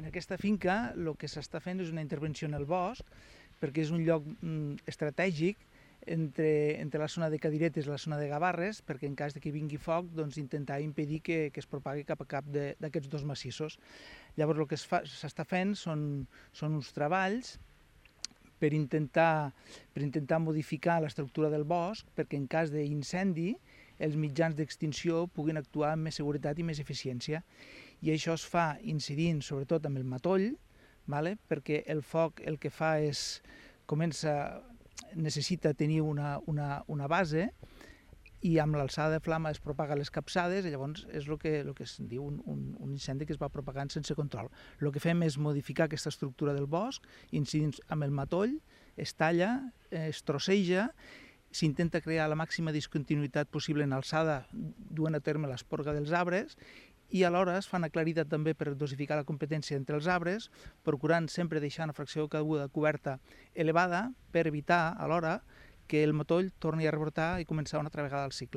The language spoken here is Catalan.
aquesta finca el que s'està fent és una intervenció en el bosc, perquè és un lloc estratègic entre la zona de Cadiretes i la zona de Gavarres, perquè en cas de que vingui foc, doncs intentar impedir que es propagui cap a cap d'aquests dos massissos. Llavors el que s'està fent són uns treballs per intentar modificar l'estructura del bosc, perquè en cas d'incendi els mitjans d'extinció puguin actuar amb més seguretat i més eficiència. I això es fa incidint sobretot amb el matoll, perquè el foc el que fa és necessita tenir una base, i amb l'alçada de flama es propaga les capçades, i llavors és el que es diu un incendi que es va propagant sense control. El que fem és modificar aquesta estructura del bosc, incidint amb el matoll, es talla, es trosseja, s'intenta crear la màxima discontinuïtat possible en alçada, duent a terme l'esporga dels arbres, i alhora es fa una claritat també per dosificar la competència entre els arbres, procurant sempre deixar una fracció caiguda coberta elevada per evitar alhora que el matoll torni a rebrotar i començar una altra vegada el cicle.